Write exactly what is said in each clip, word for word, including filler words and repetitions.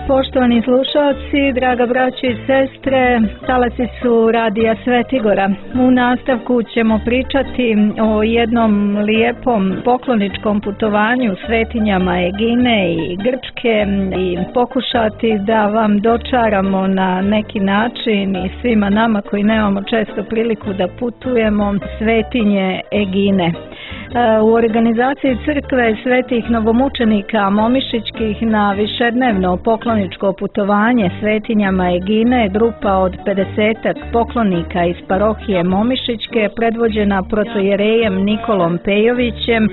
Poštovani slušalci, draga braćo i sestre, talasi su Radija Svetigora. U nastavku ćemo pričati o jednom lijepom pokloničkom putovanju svetinjama Egine i Grčke i pokušati da vam dočaramo na neki način i svima nama koji nemamo često priliku da putujemo svetinje Egine. U organizaciji crkve svetih novomučenika Momišićkih na višednevno pokloničko putovanje svetinjama Egine grupa od pedesetak poklonika iz parohije Momišićke predvođena protojerejem Nikolom Pejovićem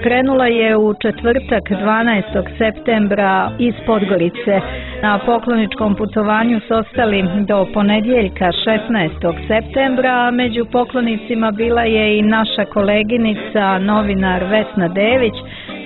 krenula je u četvrtak dvanaestog septembra iz Podgorice. Na pokloničkom putovanju su ostali do ponedjeljka šesnaestog septembra, a među poklonicima bila je i naša koleginica novinar Vesna Dević,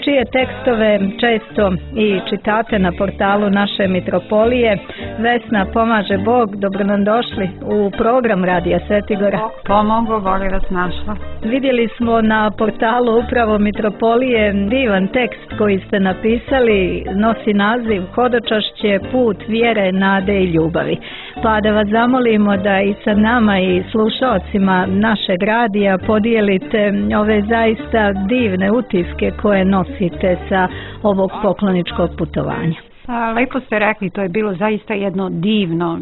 čije tekstove često i čitate na portalu naše mitropolije. Vesna, pomaže Bog, dobro nam došli u program Radija Svetigora. Pomogu, voli vas našla. Vidjeli smo na portalu upravo mitropolije divan tekst koji ste napisali, nosi naziv Hodočašće, put vjere, nade i ljubavi. Pa da vas zamolimo da i sa nama i slušalcima našeg radija podijelite ove zaista divne utiske koje nosite sa ovog pokloničkog putovanja. A, lepo ste rekli, to je bilo zaista jedno divno,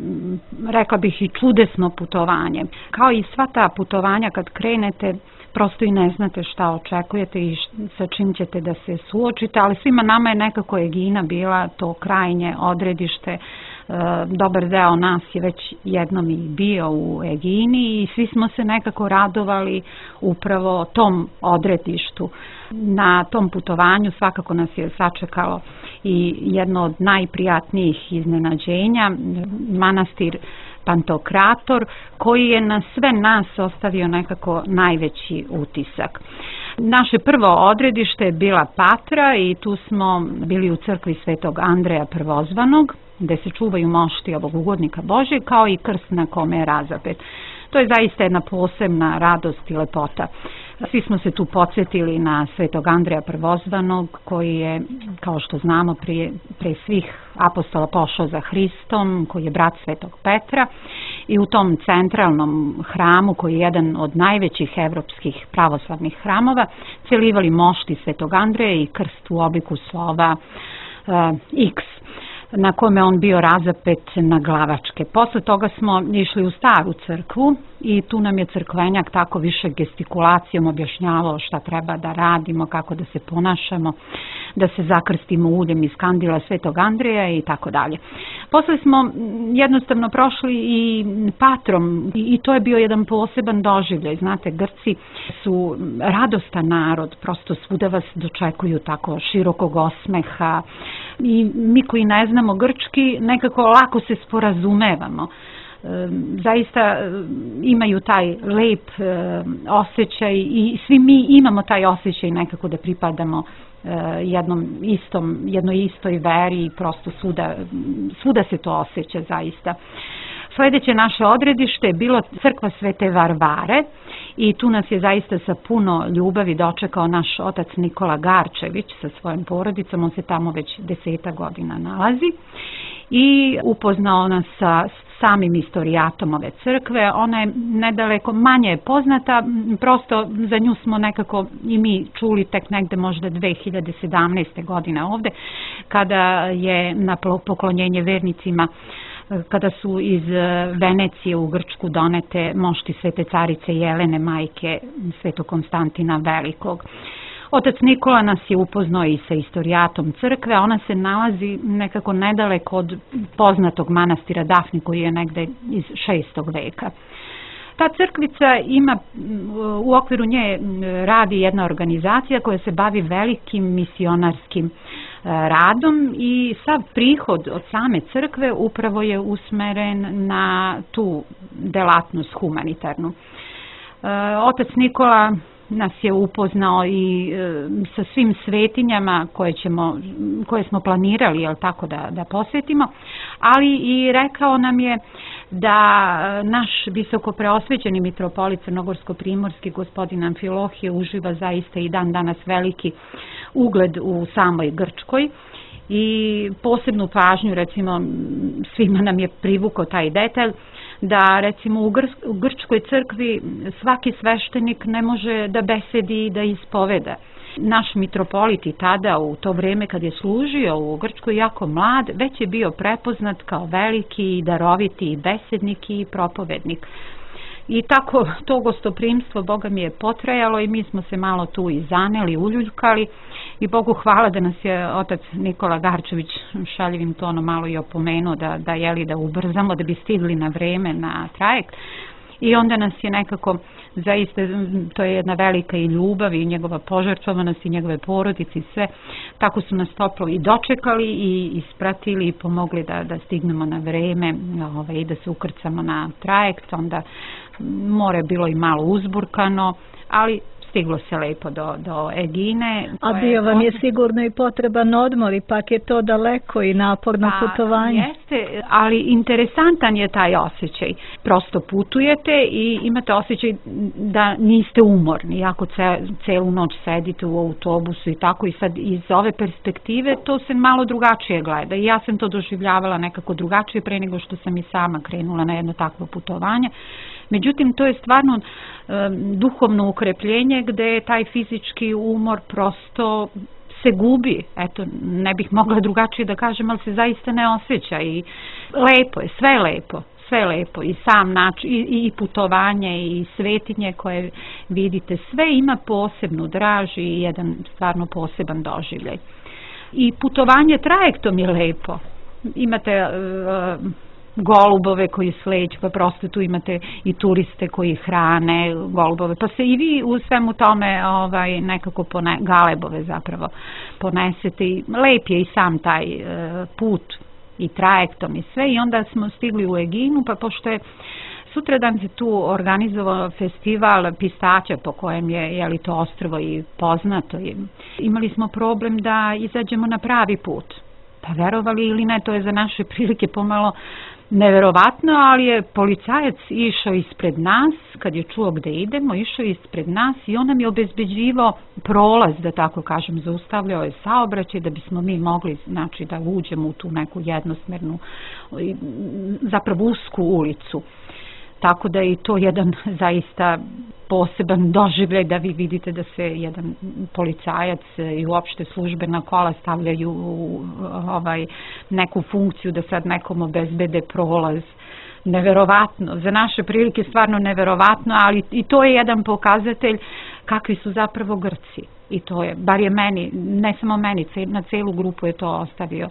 rekla bih i čudesno putovanje. Kao i sva ta putovanja kad krenete, prosto i ne znate šta očekujete i sa čim ćete da se suočite, ali svima nama je nekako Egina bila to krajnje odredište. Dobar deo nas je već jednom i bio u Egini i svi smo se nekako radovali upravo tom odredištu. Na tom putovanju svakako nas je sačekalo i jedno od najprijatnijih iznenađenja, manastir Pantokrator, koji je na sve nas ostavio nekako najveći utisak. Naše prvo odredište je bila Patra i tu smo bili u crkvi Svetog Andreja Prvozvanog, gde se čuvaju mošti ovog ugodnika Božjeg, kao i krst na kome je razapet. To je zaista jedna posebna radost i lepota. Svi smo se tu podsjetili na Svetog Andreja Prvozvanog, koji je, kao što znamo, prije, prije svih apostola pošao za Hristom, koji je brat Svetog Petra, i u tom centralnom hramu, koji je jedan od najvećih evropskih pravoslavnih hramova, celivali mošti Svetog Andreja i krst u obliku slova uh, X, na kome on bio razapet na glavačke. Posle toga smo išli u staru crkvu i tu nam je crkvenjak tako više gestikulacijom objašnjavao šta treba da radimo, kako da se ponašamo, da se zakrstimo uljem iz kandila Svetog Andreja i tako dalje. Posle smo jednostavno prošli i Patrom i to je bio jedan poseban doživljaj. Znate, Grci su radostan narod, prosto svuda vas dočekuju tako širokog osmeha i mi koji ne znamo grčki nekako lako se sporazumevamo. Zaista imaju taj lep osjećaj i svi mi imamo taj osjećaj nekako da pripadamo jednom istom, jednoj istoj veri i prosto svuda, svuda se to osjeća zaista. Sljedeće naše odredište je bilo crkva Svete Varvare i tu nas je zaista sa puno ljubavi dočekao naš otac Nikola Garčević sa svojom porodicom, on se tamo već deseta godina nalazi i upoznao nas sa samim istorijatom ove crkve. Ona je nedaleko manje poznata, prosto za nju smo nekako i mi čuli tek negde možda dve hiljade sedamnaeste. godine ovde, kada je na poklonjenje vernicima, kada su iz Venecije u Grčku donete mošti Svete carice Jelene, majke Svetog Konstantina Velikog. Otac Nikola nas je upoznao i sa istorijatom crkve, ona se nalazi nekako nedaleko od poznatog manastira Dafni koji je negde iz šestog veka. Ta crkvica ima, u okviru nje radi jedna organizacija koja se bavi velikim misionarskim radom i sav prihod od same crkve upravo je usmeren na tu delatnost humanitarnu. Otac Nikola nas je upoznao i e, sa svim svetinjama koje, ćemo, koje smo planirali, jel tako, da, da posvetimo, ali i rekao nam je da naš visoko preosvećeni mitropolit crnogorsko-primorski gospodin Amfilohije uživa zaista i dan danas veliki ugled u samoj Grčkoj i posebnu pažnju, recimo, svima nam je privukao taj detalj da recimo u, Gr u Grčkoj crkvi svaki sveštenik ne može da besedi i da ispoveda. Naš mitropolit i tada, u to vreme kad je služio u Grčkoj jako mlad, već je bio prepoznat kao veliki i daroviti besednik i propovednik. I tako to gostoprimstvo, Boga mi je potrajalo i mi smo se malo tu i zaneli, uljuljkali i Bogu hvala da nas je otac Nikola Garčević šaljivim tonom malo i opomenuo da, da, jeli, da ubrzamo, da bi stigli na vreme na trajekt. I onda nas je nekako, zaista, to je jedna velika i ljubav i njegova požrtvovanost i njegove porodice i sve, tako su nas toplo i dočekali i ispratili i pomogli da, da stignemo na vreme ovaj, i da se ukrcamo na trajekt. Onda more je bilo i malo uzburkano, ali stiglo se lepo do, do Egine. A bio vam je sigurno i potreban odmor, ipak je to daleko i naporno pa, putovanje. Jeste, ali interesantan je taj osjećaj. Prosto putujete i imate osjećaj da niste umorni, ako ce, celu noć sedite u autobusu i tako, i sad iz ove perspektive to se malo drugačije gleda i ja sam to doživljavala nekako drugačije pre nego što sam i sama krenula na jedno takvo putovanje. Međutim, to je stvarno e, duhovno ukrepljenje gde je taj fizički umor prosto se gubi. Eto, ne bih mogla drugačije da kažem, ali se zaista ne osjeća i lepo je, sve je lepo, sve je lepo i sam način, i, i putovanje i svetinje koje vidite, sve ima posebnu draž i jedan stvarno poseban doživljaj. I putovanje trajektom je lepo. Imate E, golubove koji sleću, pa prosto tu imate i turiste koji hrane golubove, pa se i vi u svemu tome ovaj, nekako pone, galebove zapravo ponesete i lep je i sam taj e, put i trajektom i sve i onda smo stigli u Eginu, pa pošto je sutradan se tu organizovao festival pistaća po kojem je, je li to ostrvo i poznato i imali smo problem da izađemo na pravi put. Pa verovali ili ne, to je za naše prilike pomalo neverovatno, ali je policajac išao ispred nas, kad je čuo gde idemo, išao ispred nas i on nam je obezbeđivao prolaz, da tako kažem, zaustavljao je saobraćaj da bismo mi mogli, znači, da uđemo u tu neku jednosmernu, zapravo usku ulicu. Tako da je i to jedan zaista poseban doživljaj da vi vidite da se jedan policajac i uopšte službena kola stavljaju u ovaj, neku funkciju da sad nekom obezbede prolaz. Neverovatno, za naše prilike stvarno neverovatno, ali i to je jedan pokazatelj kakvi su zapravo Grci. I to je, bar je meni, ne samo meni, na celu grupu je to ostavio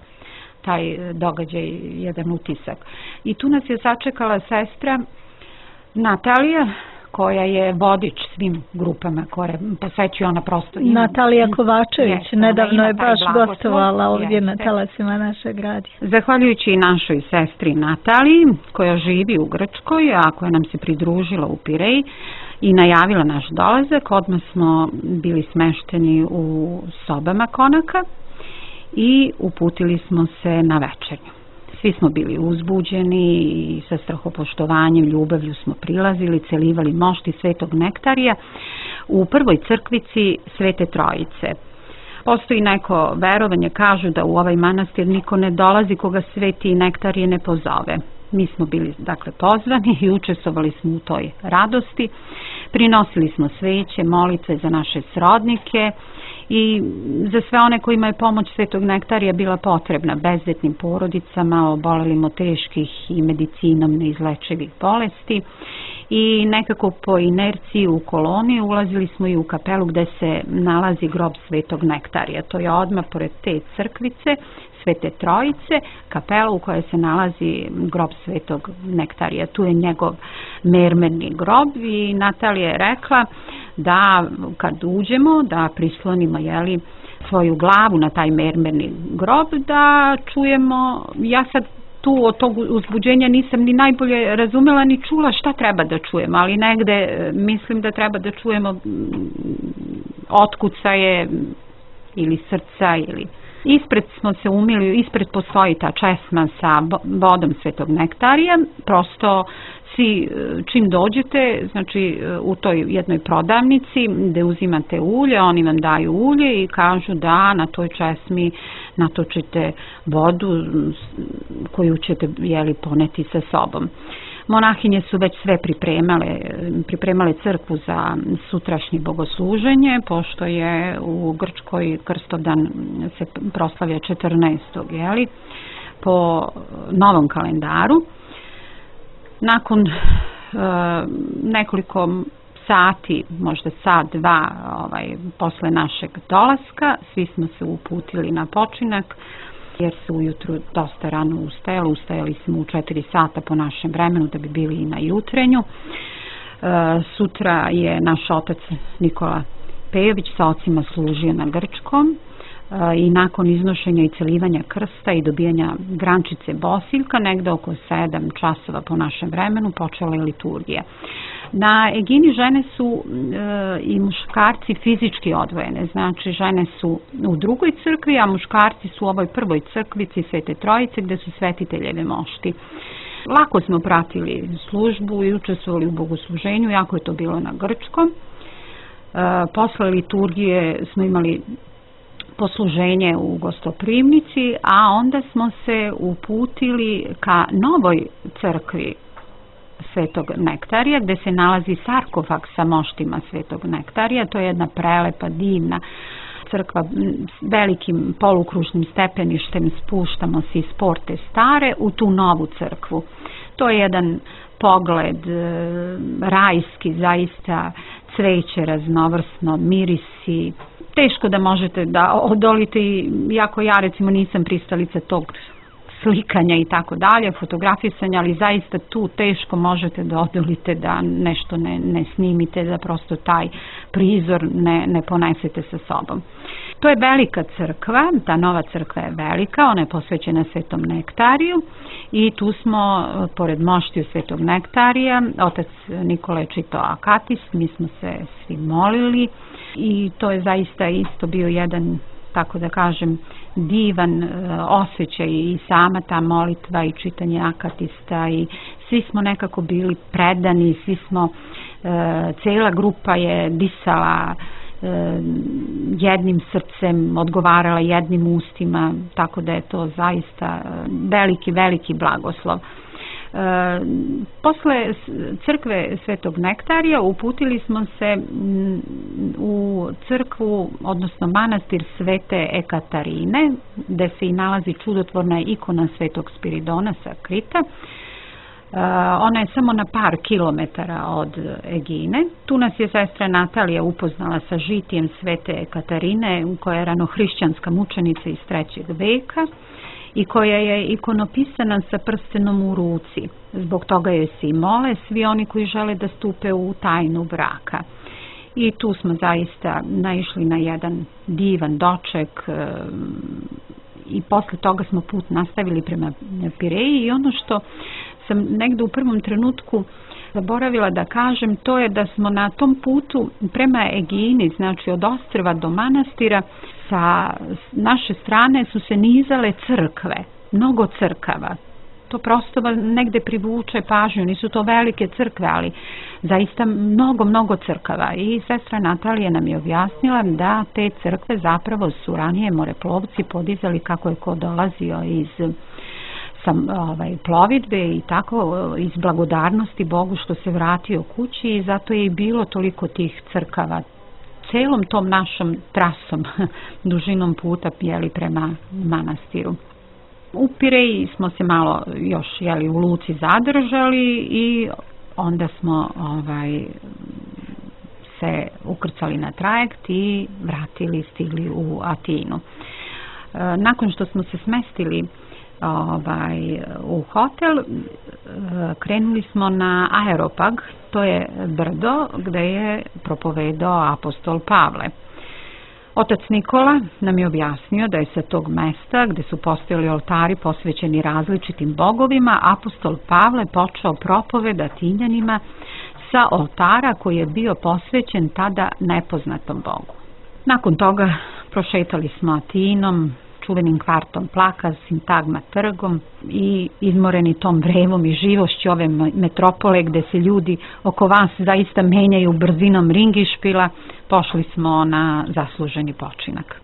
taj događaj, jedan utisak. I tu nas je sačekala sestra Natalija, koja je vodič svim grupama koje posećuje ona prosto. Ima, Natalija Kovačević, jeste, nedavno je baš gostovala ovdje jeste. Na talasima našeg radija. Zahvaljujući našoj sestri Nataliji, koja živi u Grčkoj, a koja nam se pridružila u Pireji i najavila naš dolazak, odmah smo bili smešteni u sobama konaka i uputili smo se na večernju. Svi smo bili uzbuđeni i sa strahopoštovanjem, ljubavlju smo prilazili, celivali mošti svetog nektarija u prvoj crkvici Svete Trojice. Postoji neko verovanje, kažu da u ovaj manastir niko ne dolazi koga sveti nektarije ne pozove. Mi smo bili, dakle, pozvani i učestvovali smo u toj radosti. Prinosili smo sveće, molitve za naše srodnike i za sve one kojima je pomoć svetog nektarija bila potrebna, bezdetnim porodicama, obolelim od teških i medicinom neizlečivih bolesti. I nekako po inerciji u koloni ulazili smo i u kapelu gde se nalazi grob svetog nektarija. To je odmah pored te crkvice Svete Trojice, kapela u kojoj se nalazi grob svetog nektarija. Tu je njegov mermerni grob i Natalija je rekla da kad uđemo, da prislonimo, jeli, svoju glavu na taj mermerni grob, da čujemo, ja sad tu od tog uzbuđenja nisam ni najbolje razumela ni čula šta treba da čujemo, ali negde mislim da treba da čujemo otkucaje ili srca ili... Ispred smo se umili, ispred postoji ta česma sa vodom Svetog Nektarija, prosto svi čim dođete, znači u toj jednoj prodavnici gde uzimate ulje, oni vam daju ulje i kažu da na toj česmi natočite vodu koju ćete jeli, poneti sa sobom. Monahinje su već sve pripremale, pripremale crkvu za sutrašnje bogosluženje, pošto je u Grčkoj Krstovdan se proslavlja četrnaestog jeli, po novom kalendaru. Nakon e, nekoliko sati, možda sat, dva, ovaj, posle našeg dolaska, svi smo se uputili na počinak, jer se ujutru dosta rano ustajalo, ustajali smo u četiri sata po našem vremenu da bi bili i na jutrenju. E, sutra je naš otac Nikola Pejović sa ocima služio na grčkom e, i nakon iznošenja i celivanja krsta i dobijanja grančice Bosiljka, negde oko sedam časova po našem vremenu, počela je liturgija. Na Egini žene su e, i muškarci fizički odvojene, znači žene su u drugoj crkvi, a muškarci su u ovoj prvoj crkvici Svete Trojice gde su svetiteljeve mošti. Lako smo pratili službu i učestvovali u bogosluženju, jako je to bilo na grčkom. E, posle liturgije smo imali posluženje u gostoprimnici, a onda smo se uputili ka novoj crkvi Svetog Nektarija, gde se nalazi sarkofag sa moštima Svetog Nektarija. To je jedna prelepa, divna crkva s velikim polukružnim stepeništem. Spuštamo se iz Porte Stare u tu novu crkvu. To je jedan pogled rajski, zaista cveće raznovrsno, mirisi. Teško da možete da odolite, iako ja recimo nisam pristalica tog slikanja i tako dalje, fotografisanja, ali zaista tu teško možete da odolite da nešto ne, ne snimite, da prosto taj prizor ne, ne ponesete sa sobom. To je velika crkva, ta nova crkva je velika, ona je posvećena Svetom Nektariju i tu smo, pored moštiju Svetog Nektarija, otac Nikola je čitao akatist, mi smo se svi molili i to je zaista isto bio jedan, tako da kažem, divan osjećaj i sama ta molitva i čitanje akatista i svi smo nekako bili predani, svi smo, e, cela grupa je disala e, jednim srcem, odgovarala jednim ustima, tako da je to zaista veliki, veliki blagoslov. E, posle crkve Svetog Nektarija uputili smo se u crkvu, odnosno manastir Svete Ekaterine, gde se i nalazi čudotvorna ikona Svetog Spiridona sa Krita. E, ona je samo na par kilometara od Egine. Tu nas je sestra Natalija upoznala sa žitijem Svete Ekaterine, koja je ranohrišćanska mučenica iz trećeg veka i koja je ikonopisana sa prstenom u ruci. Zbog toga joj se i mole svi oni koji žele da stupe u tajnu braka. I tu smo zaista naišli na jedan divan doček i posle toga smo put nastavili prema Pireji i ono što sam negde u prvom trenutku zaboravila da kažem, to je da smo na tom putu prema Egini, znači od ostrva do manastira, sa naše strane su se nizale crkve, mnogo crkava. To prosto negde privuče pažnju, nisu to velike crkve, ali zaista mnogo, mnogo crkava. I sestra Natalija nam je objasnila da te crkve zapravo su ranije moreplovci podizali kako je ko dolazio iz sam, ovaj, plovidbe i tako iz blagodarnosti Bogu što se vratio kući i zato je i bilo toliko tih crkava celom tom našom trasom, dužinom puta jeli prema manastiru. U Pireji smo se malo još jeli u luci zadržali i onda smo ovaj, se ukrcali na trajekt i vratili, stigli u Atinu. E, nakon što smo se smestili ovaj, u hotel, e, krenuli smo na Aeropag, to je brdo gde je propovedao apostol Pavle. Otac Nikola nam je objasnio da je sa tog mesta gde su postojali oltari posvećeni različitim bogovima, apostol Pavle počeo propoved Atinjanima sa oltara koji je bio posvećen tada nepoznatom bogu. Nakon toga prošetali smo Atinom, čuvenim kvartom Plaka, Sintagma trgom i izmoreni tom vrevom i živošću ove metropole gde se ljudi oko vas zaista menjaju brzinom ringišpila, pošli smo na zasluženi počinak.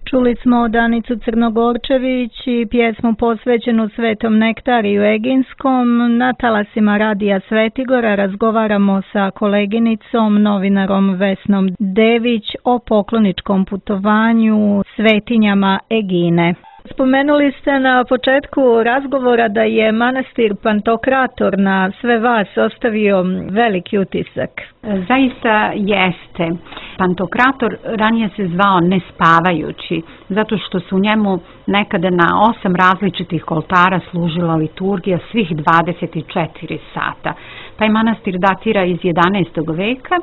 Čuli smo Danicu Crnogorčević i pjesmu posvećenu Svetom Nektariju Eginskom. Na talasima Radija Svetigora razgovaramo sa koleginicom, novinarom Vesnom Dević o pokloničkom putovanju svetinjama Egine. Spomenuli ste na početku razgovora da je manastir Pantokrator na sve vas ostavio veliki utisak. Zaista jeste. Pantokrator ranije se zvao Nespavajući, zato što su u njemu nekada na osam različitih oltara služila liturgija svih dvadeset četiri sata. Taj manastir datira iz jedanaestog veka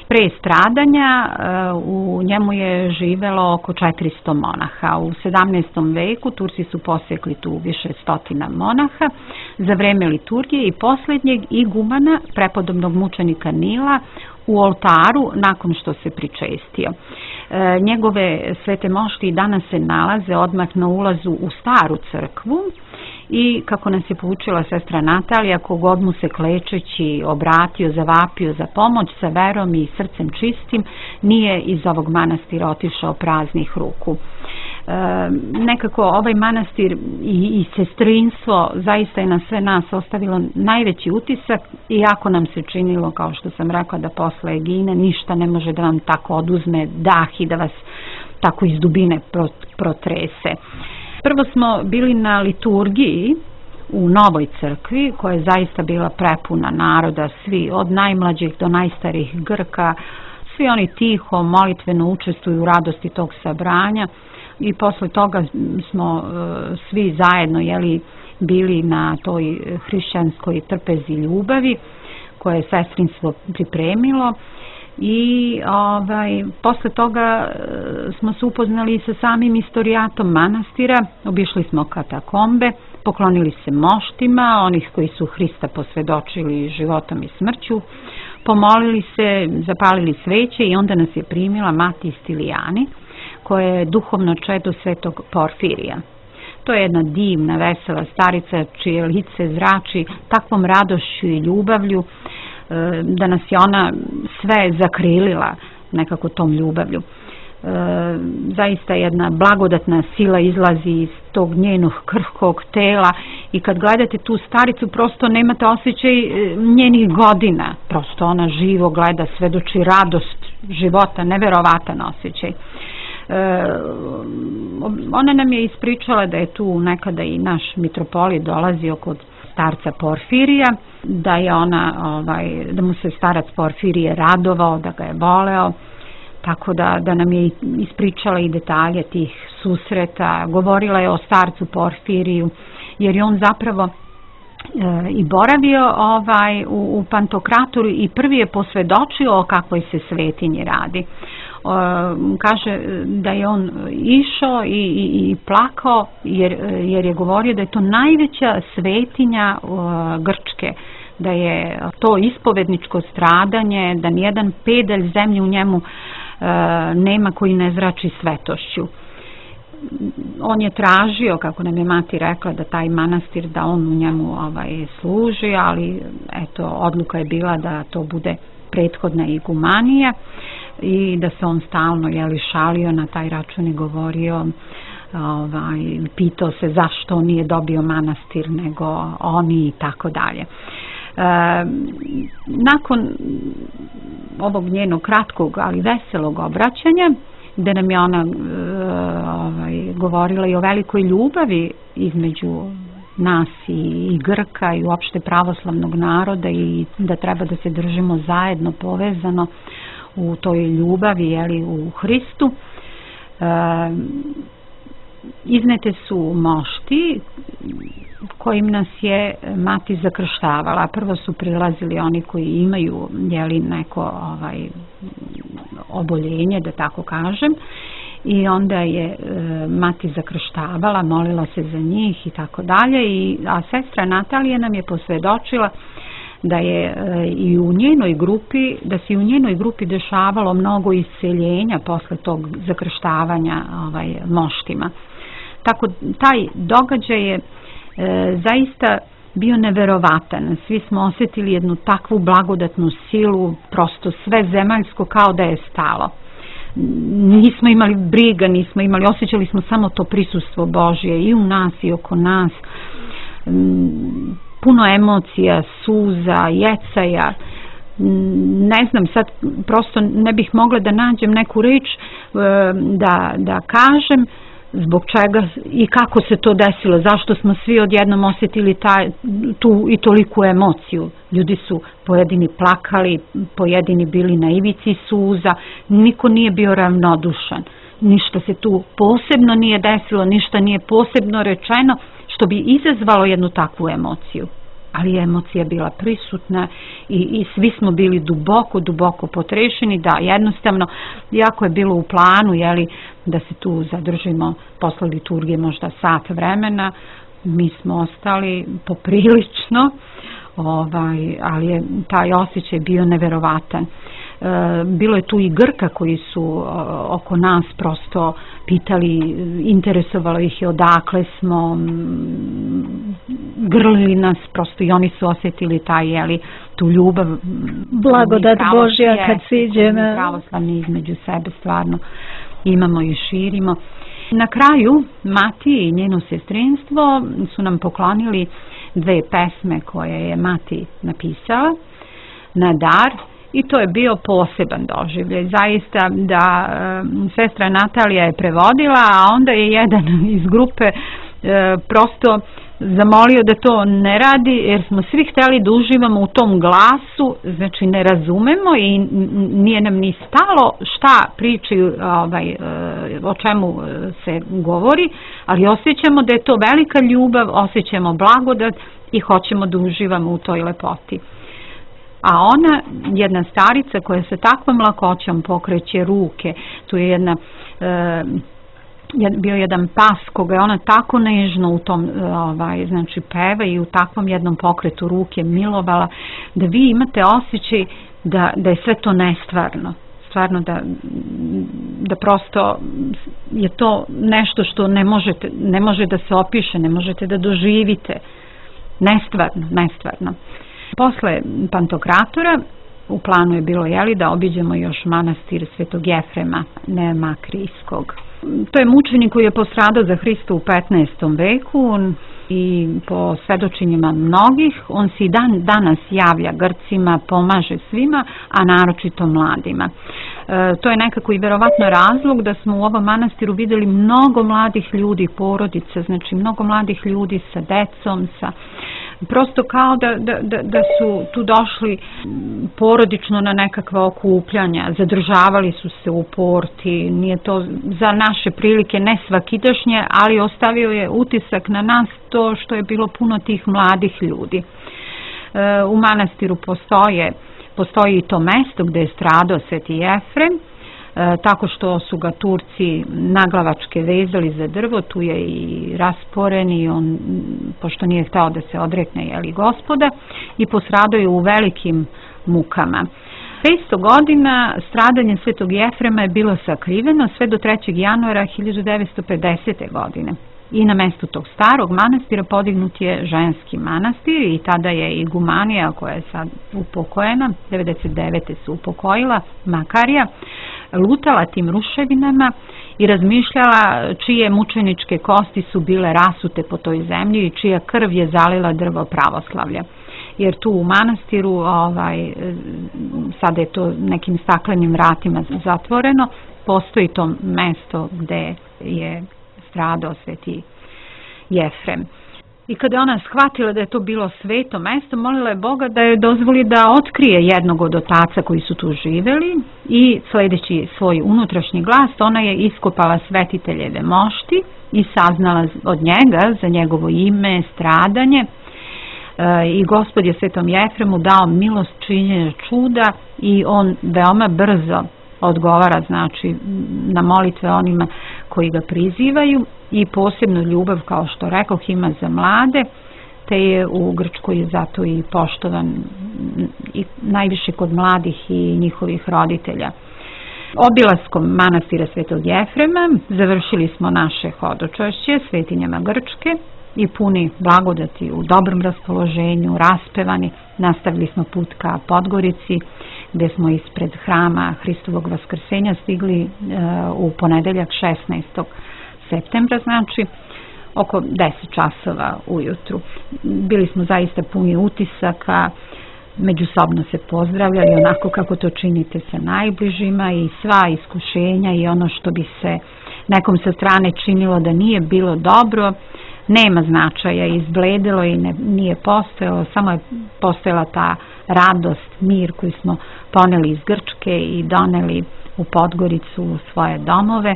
Pre stradanja u njemu je živelo oko četiristo monaha. U sedamnaestom veku Turci su posekli tu više stotina monaha. Za vreme liturgije i posljednjeg igumana, prepodobnog mučenika Nila, u oltaru nakon što se pričestio. Njegove svete mošti i danas se nalaze odmah na ulazu u staru crkvu i, kako nas je poučila sestra Natalija, kogod mu se klečeći obratio, zavapio za pomoć sa verom i srcem čistim, nije iz ovog manastira otišao praznih ruku. E, nekako ovaj manastir i, i sestrinstvo zaista je na sve nas ostavilo najveći utisak, iako nam se činilo, kao što sam rekla, da posle Egine ništa ne može da vam tako oduzme dah i da vas tako iz dubine protrese. Prvo smo bili na liturgiji u Novoj crkvi, koja je zaista bila prepuna naroda, svi od najmlađih do najstarijih Grka, svi oni tiho, molitveno učestvuju u radosti tog sabranja, i posle toga smo uh, svi zajedno jeli, bili na toj hrišćanskoj trpezi ljubavi koje je sestrinstvo pripremilo. I ovaj, posle toga smo se upoznali sa samim istorijatom manastira, obišli smo katakombe, poklonili se moštima, onih koji su Hrista posvedočili životom i smrću, pomolili se, zapalili sveće i onda nas je primila mati Stilijani, koja je duhovno čedo svetog Porfirija. To je jedna divna, vesela starica čije lice zrači takvom radošću i ljubavlju da nas je ona sve zakrilila nekako tom ljubavlju. E, zaista jedna blagodatna sila izlazi iz tog njenog krhkog tela i kad gledate tu staricu prosto nemate osjećaj njenih godina, prosto ona živo gleda, svedoči radost života, neverovatan osjećaj. E, ona nam je ispričala da je tu nekada i naš mitropolit dolazio kod starca Porfirija, da je ona, ovaj, da mu se starac Porfirije radovao, da ga je voleo, tako da, da nam je ispričala i detalje tih susreta, govorila je o starcu Porfiriju, jer je on zapravo e, i boravio ovaj, u, u Pantokratoru i prvi je posvedočio o kakvoj se svetinji radi. Kaže da je on išao i, i, i plakao jer, jer je govorio da je to najveća svetinja Grčke, da je to ispovedničko stradanje, da nijedan pedalj zemlje u njemu nema koji ne zrači svetošću. On je tražio, kako nam je mati rekla, da taj manastir, da on u njemu ovaj, služi, ali eto, odluka je bila da to bude prethodna igumanija i da se on stalno jeli, šalio na taj račun i govorio, ovaj, pitao se zašto on nije dobio manastir nego oni i tako dalje. E, nakon ovog njenog kratkog ali veselog obraćanja, gde nam je ona e, ovaj, govorila i o velikoj ljubavi između nas i, i Grka i uopšte pravoslavnog naroda i da treba da se držimo zajedno, povezano u toj ljubavi, jeli, u Hristu. E, iznete su mošti kojim nas je mati zakrštavala. Prvo su prilazili oni koji imaju jeli, neko ovaj, oboljenje, da tako kažem, i onda je e, mati zakrštavala, molila se za njih i tako dalje, i a sestra Natalija nam je posvedočila da je e, i u njenoj grupi, da se i u njenoj grupi dešavalo mnogo isceljenja posle tog zakrštavanja ovaj, moštima. Tako taj događaj je e, zaista bio neverovatan. Svi smo osjetili jednu takvu blagodatnu silu, prosto sve zemaljsko kao da je stalo. Nismo imali briga, nismo imali, osjećali smo samo to prisustvo Božje i u nas i oko nas. Puno emocija, suza, jecaja. Ne znam, sad prosto ne bih mogla da nađem neku reč da, da kažem zbog čega i kako se to desilo, zašto smo svi odjednom osjetili taj, tu i toliku emociju. Ljudi su pojedini plakali, pojedini bili na ivici suza, niko nije bio ravnodušan, ništa se tu posebno nije desilo, ništa nije posebno rečeno što bi izazvalo jednu takvu emociju. ali je emocija bila prisutna i, i svi smo bili duboko, duboko potrešeni, da jednostavno, iako je bilo u planu, jeli, da se tu zadržimo posle liturgije možda sat vremena, mi smo ostali poprilično, ovaj, ali je taj osjećaj bio neverovatan. Bilo je tu i Grka koji su oko nas prosto pitali, interesovalo ih je odakle smo, grlili nas prosto i oni su osjetili taj, jeli, tu ljubav, blagodat Božja kad siđe pravoslavni između sebe stvarno imamo i širimo. Na kraju Mati i njeno sestrinstvo su nam poklonili dve pesme koje je Mati napisala na dar. I to je bio poseban doživljaj. Zaista da e, sestra Natalija je prevodila, a onda je jedan iz grupe e, prosto zamolio da to ne radi, jer smo svi htjeli da uživamo u tom glasu, znači ne razumemo i nije nam ni stalo šta pričaju, ovaj, e, o čemu se govori, ali osjećamo da je to velika ljubav, osjećamo blagodat i hoćemo da uživamo u toj lepoti. A ona, jedna starica koja sa takvom lakoćom pokreće ruke, tu je jedna, e, bio jedan pas koga je ona tako nežno u tom, ovaj, znači peva i u takvom jednom pokretu ruke milovala, da vi imate osjećaj da, da je sve to nestvarno. Stvarno da, da prosto je to nešto što ne možete, ne može da se opiše, ne možete da doživite. Nestvarno, nestvarno. Posle Pantokratora u planu je bilo, jeli, da obiđemo još manastir Svetog Jefrema Nemakrijskog. To je mučenik koji je postradao za Hrista u petnaestom veku i po svedočenjima mnogih on se i dan danas javlja Grcima, pomaže svima, a naročito mladima. E, to je nekako i verovatno razlog da smo u ovom manastiru vidjeli mnogo mladih ljudi, porodica, znači mnogo mladih ljudi sa decom, sa prosto kao da, da, da, da su tu došli porodično na nekakva okupljanja, zadržavali su se u porti, nije to za naše prilike ne svakidašnje, ali ostavio je utisak na nas to što je bilo puno tih mladih ljudi. E, u manastiru postoje, postoji i to mesto gdje je stradao Sveti Jefrem, E, tako što su ga Turci naglavačke vezali za drvo, tu je i rasporen i on, pošto nije htao da se odrekne, jeli, Gospoda, i postradao je u velikim mukama. petsto godina stradanje Svetog Jefrema je bilo sakriveno sve do trećeg januara hiljadu devetsto pedesete. godine. I na mestu tog starog manastira podignut je ženski manastir i tada je igumanija, koja je sad upokojena, devedeset devete se upokojila, Makarija, lutala tim ruševinama i razmišljala čije mučeničke kosti su bile rasute po toj zemlji i čija krv je zalila drvo pravoslavlja. Jer tu u manastiru, ovaj, sada je to nekim staklenim vratima zatvoreno, postoji to mesto gde je stradao Sveti Jefrem. I kada je ona shvatila da je to bilo sveto mesto, molila je Boga da je dozvoli da otkrije jednog od otaca koji su tu živeli i sledeći svoj unutrašnji glas, ona je iskopala svetiteljeve mošti i saznala od njega za njegovo ime, stradanje, e, i Gospod je Svetom Jefremu dao milost činjenja čuda i on veoma brzo odgovara, znači, na molitve onima koji ga prizivaju i posebnu ljubav, kao što rekoh, ima za mlade, te je u Grčkoj zato i poštovan i najviše kod mladih i njihovih roditelja. Obilaskom manastira Svetog Jefrema završili smo naše hodočašće svetinjama Grčke i puni blagodati, u dobrom raspoloženju, raspevani, nastavili smo put ka Podgorici, gde smo ispred hrama Hristovog vaskrsenja stigli e, u ponedeljak šesnaestog septembra, znači oko deset časova ujutru. Bili smo zaista puni utisaka, međusobno se pozdravljali onako kako to činite sa najbližima i sva iskušenja i ono što bi se nekom sa strane činilo da nije bilo dobro, nema značaja, izbledilo i ne, nije postojalo, samo je postojala ta radost, mir koji smo poneli iz Grčke i doneli u Podgoricu u svoje domove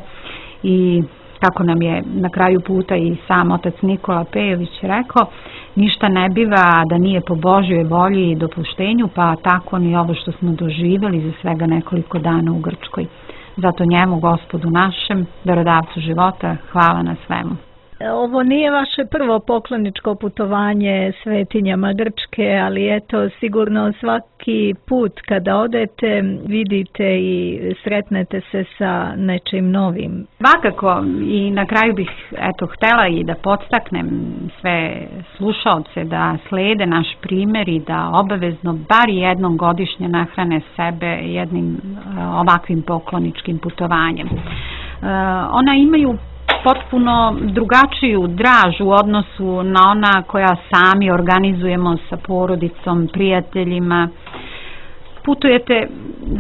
i kako nam je na kraju puta i sam otac Nikola Pejović rekao, ništa ne biva da nije po Božjoj volji i dopuštenju, pa tako ni ovo što smo doživjeli za svega nekoliko dana u Grčkoj. Zato njemu, Gospodu našem, darodavcu života, hvala na svemu. Ovo nije vaše prvo pokloničko putovanje svetinjama Grčke, ali eto, sigurno svaki put kada odete vidite i sretnete se sa nečim novim. Svakako, i na kraju bih eto htjela i da podstaknem sve slušaoce da slede naš primjer i da obavezno bar jednom godišnje nahrane sebe jednim ovakvim pokloničkim putovanjem. Ona imaju potpuno drugačiju draž u odnosu na ona koja sami organizujemo sa porodicom, prijateljima. Putujete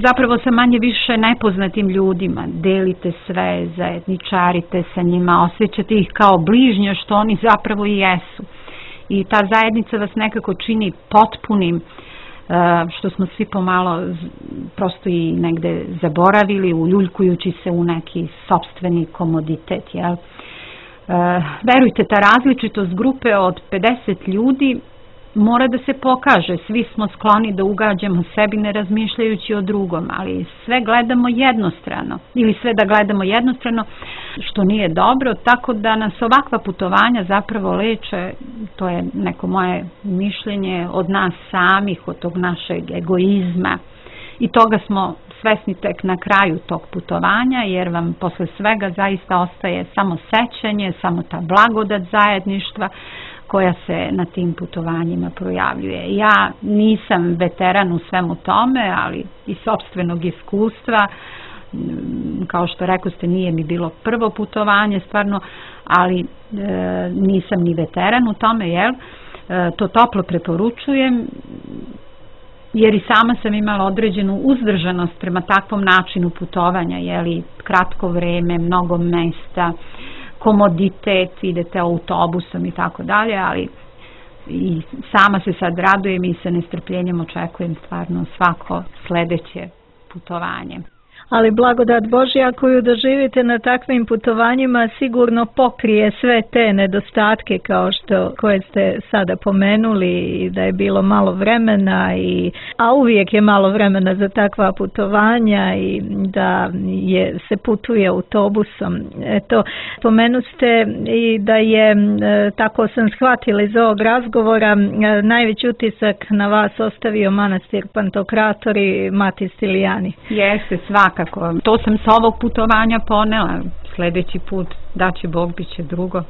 zapravo sa manje više nepoznatim ljudima, delite sve, zajedničarite sa njima, osjećate ih kao bližnje što oni zapravo i jesu. I ta zajednica vas nekako čini potpunim, što smo svi pomalo prosto i negde zaboravili, uljuljkujući se u neki sopstveni komoditet. Jel? Verujte, ta različitost grupe od pedeset ljudi mora da se pokaže. Svi smo skloni da ugađamo sebi ne razmišljajući o drugom, ali sve gledamo jednostrano ili sve da gledamo jednostrano, što nije dobro, tako da nas ovakva putovanja zapravo leče, to je neko moje mišljenje, od nas samih, od tog našeg egoizma, i toga smo svesni tek na kraju tog putovanja, jer vam posle svega zaista ostaje samo sećanje, samo ta blagodat zajedništva koja se na tim putovanjima projavljuje. Ja nisam veteran u svemu tome, ali iz sopstvenog iskustva, kao što rekao ste, nije mi bilo prvo putovanje stvarno, ali e, nisam ni veteran u tome, jel? E, to toplo preporučujem, jer i sama sam imala određenu uzdržanost prema takvom načinu putovanja, jeli, kratko vreme, mnogo mesta, komoditet, idete autobusom i tako dalje, ali i sama se sad radujem i sa nestrpljenjem očekujem stvarno svako sledeće putovanje. Ali blagodat Božja koju doživite na takvim putovanjima sigurno pokrije sve te nedostatke kao što koje ste sada pomenuli, i da je bilo malo vremena, i, a uvijek je malo vremena za takva putovanja, i da je, se putuje autobusom. Eto, pomenuste i da je, tako sam shvatila iz ovog razgovora, najveći utisak na vas ostavio manastir Pantokrator i Mati Stilijani. Jeste, svakako. To sam sa ovog putovanja ponela. Sljedeći put, da će Bog, bit će drugo.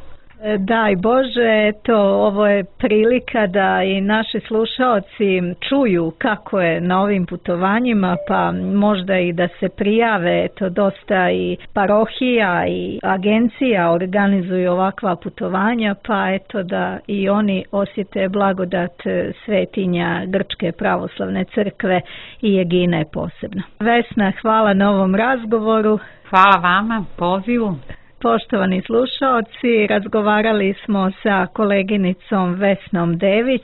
Daj Bože, eto, ovo je prilika da i naši slušaoci čuju kako je na ovim putovanjima, pa možda i da se prijave. Eto, dosta i parohija i agencija organizuju ovakva putovanja, pa eto da i oni osjete blagodat svetinja Grčke pravoslavne crkve i Egine posebno. Vesna, hvala na ovom razgovoru. Hvala vama, pozivu. Poštovani slušaoci, razgovarali smo sa koleginicom Vesnom Dević,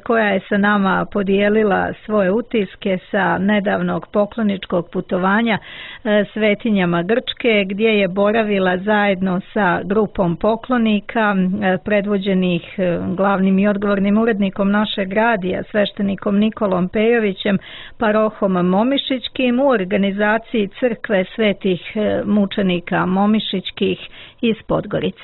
koja je sa nama podijelila svoje utiske sa nedavnog pokloničkog putovanja svetinjama Grčke, gdje je boravila zajedno sa grupom poklonika predvođenih glavnim i odgovornim urednikom našeg radija, sveštenikom Nikolom Pejovićem, parohom Momišićkim, u organizaciji crkve svetih mučenika Momišićkih iz Podgorice.